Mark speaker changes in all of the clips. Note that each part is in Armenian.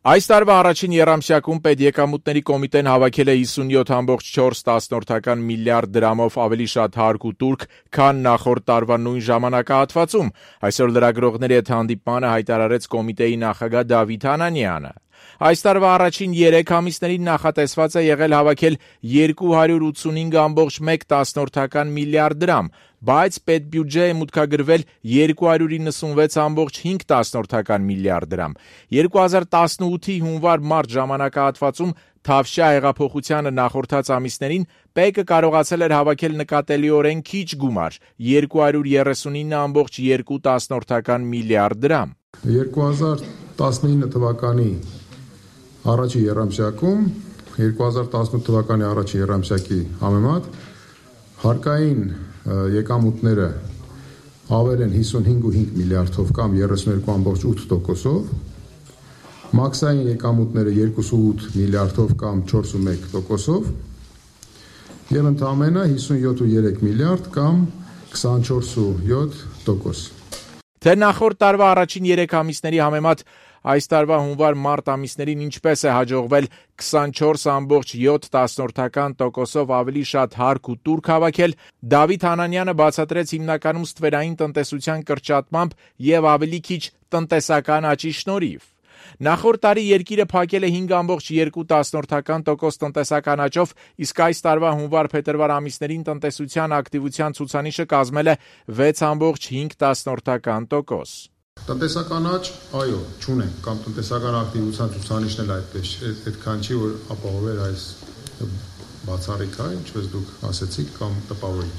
Speaker 1: Այս տարվա առաջին եռամսյակում պետեկամուտների կոմիտեն հավաքել է 57.4 միլիարդ դրամով ավելի շատ հարկ ու տուրք, քան նախորդ տարվա նույն ժամանակահատվածում, այսօր լրագրողների հետ հանդիպմանը հայտարարեց կոմիտեի նախագահ Դավիթ Անանյանը։ Այս տարվա առաջին 3 ամիսներին նախատեսված է եղել հավաքել 285.1 միլիարդ դրամ, բայց պետբյուջե է մուտքագրվել 296.5 միլիարդ դրամ։ 2018-ի հունվար-մարտ ժամանակահատվածում Թավշյա հեղափոխությանը նախորդած ամիսներին ՊԵԿ-ը կարողացել էր հավաքել նկատելիորեն քիչ գումար՝ 239.2 միլիարդ դրամ։
Speaker 2: 2019 թվականի առաջի եռամսյակում 2018 թվականի առաջի եռամսյակի համեմատ հարկային եկամուտները ավել են 55.5 միլիարդով կամ 32.8%-ով, մաքսային եկամուտները 2.8 միլիարդով կամ 4.1%-ով եւ ընդամենը 57.3 միլիարդ կամ 24.7%։
Speaker 1: Թե նախորդ տարվա առաջին 3 ամիսների համեմատ այս տարվա հունվար-մարտ ամիսներին ինչպես է հաջողվել 24.7%-ով ավելի շատ հարկ ու տուրք հավաքել, Դավիթ Անանյանը բացատրեց հիմնականում ստվերային տնտեսության կրճատմամբ եւ ավելի քիչ տնտեսական աճի շնորհիվ։ Նախորդ տարի երկիրը փակել է 5.2% տնտեսական աճով, իսկ այս տարվա հունվար-փետրվար ամիսներին տնտեսության ակտիվության ցուցանիշը կազմել է 6.5%։
Speaker 2: Տնտեսական աճ, այո, չունենք, կամ տնտեսական ակտիվության ցուցանիշն էլ այդքան չի, որ ապահովել այս բացառիկ է, ինչպես դուք ասեցիք, կամ տպավորիչ։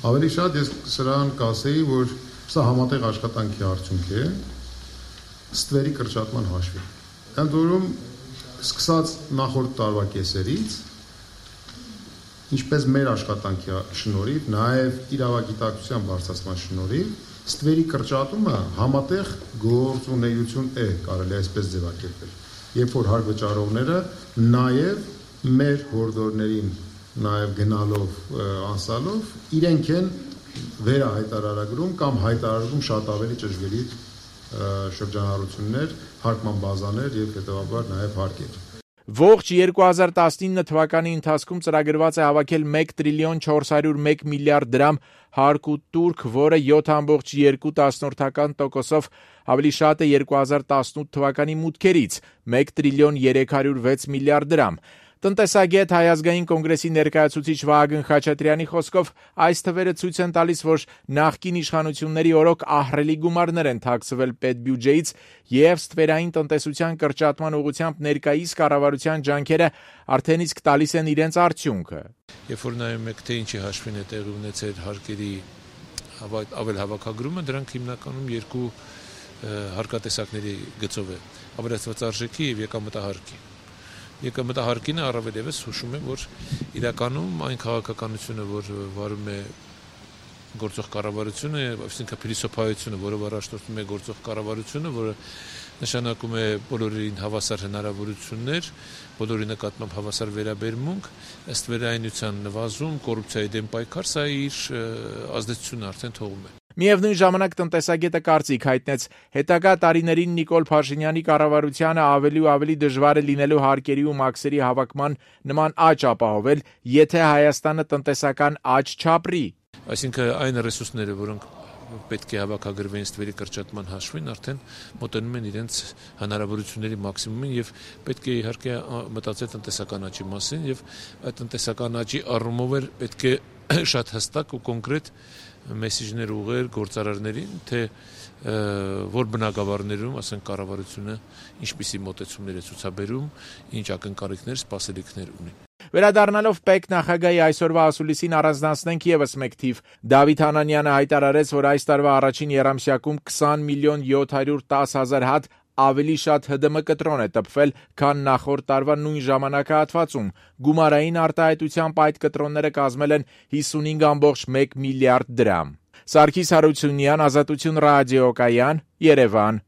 Speaker 2: Ավելի շատ ես սրան կասեի, որ սա համատեղ աշխատանքի արդյունք է, ստվերի կրճատման հաշվին։ Ընդ որում, սկսած նախորդ տարվա կեսերից, ինչպես մեր աշխատանքի շնորհիվ, նաև իրավագիտակցության բարձրացման շնորհիվ, ստվերի կրճատումը համատեղ գործունեություն է, կարելի այսպես ձևակերպել։ Երբ որ հարկ վճարողները նաև մեր հորդորներին նաև գնալով, անցալով, իրենք են վերահայտարարագրում կամ հայտարարում շատ ավելի ճշգրիտ շրջանառություններ, հարկման բազաներ եւ հետեւաբար նաև հարկեր։
Speaker 1: Ողջ 2019 թվականի ընթացքում ծրագրված է հավաքել 1.401 միլիարդ դրամ հարկ ու տուրք, որը 7.2%-ով ավելի շատ է 2018 թվականի մուտքերից՝ 1.306 միլիարդ դրամ։ Տնտեսագետ Հայ ազգային կոնգրեսի ներկայացուցիչ Վահագն Խաչատրյանի խոսքով այս թվերը ցույց են տալիս, որ նախկին իշխանությունների օրոք ահռելի գումարներ են թաքցվել պետբյուջեից եւ ստվերային տնտեսության կրճատման ուղղությամբ ներկայիս կառավարության ջանքերը արդեն իսկ տալիս են իրենց արդյունքը։
Speaker 3: Երբ որ նայում եք, թե ինչի հաշվին է տեղի ունեցել հարկերի ավել հավաքագրումը, դրանք հիմնականում երկու հարկատեսակների գծով է՝ ավելացված արժեքի եւ եկամտահարկի։ Եկամտահարկինը առավել եւս հուշում է, որ իրականում այն քաղաքականությունը, որ վարում է գործող կառավարությունը, այսինքն փիլիսոփայությունը, որով առաջնորդում է գործող կառավարությունը, որը նշանակում է բոլորին հավասար հնարավորություններ, բոլորի նկատմամբ հավասար վերաբերմունք, ըստ վերայնության նվազում, կոռուպցիայի դեմ պայքար, սա իր ազդեցությունն արդեն թողում է։
Speaker 1: Միևնույն ժամանակ տնտեսագետը կարծիք հայտնեց, հետագա տարիներին Նիկոլ Փաշինյանի կառավարությանը ավելի ու ավելի դժվար է լինելու հարկերի ու մաքսերի հավաքման նման աճ ապահովել, եթե Հայաստանը տնտեսական աճ չապրի։
Speaker 3: Այսինքն այն ռեսուրսները, որոնք պետք է հավաքագրվեն ստվերի կրճատման հաշվին, արդեն մոտենում են իրենց հնարավորությունների մաքսիմումին եւ պետք է իհարկե մտածել տնտեսական աճի մասին եւ այդ տնտեսական աճի առումով էլ պետք է շատ հստակ ու կոնկրետ մեսիջներ ուղղել գործարարներին, թե որ բնակավարներում, ասենք կառավարությունը ինչպիսի մոտեցումներ է ցուցաբերում, ինչ ակնկալիքներ, սպասելիքներ ունի։
Speaker 1: Վերադառնալով ՊԵԿ նախագահի այսօրվա ասուլիսին առանձնացնենք եւս մեկ թիվ։ Դավիթ Անանյանը հայտարարեց, որ այս տարվա առաջին եռամսյակում 20.710.000 հատ ավելի շատ ՀԴՄ կտրոն է տպվել, քան նախորդ տարվա նույն ժամանակահատվածում։ Գումարային արտահայտությամբ այդ կտրոնները կազմել են 55.1 միլիարդ դրամ։ Սարգիս Հարությունյան, Ազատություն ռադիոկայան, Երևան։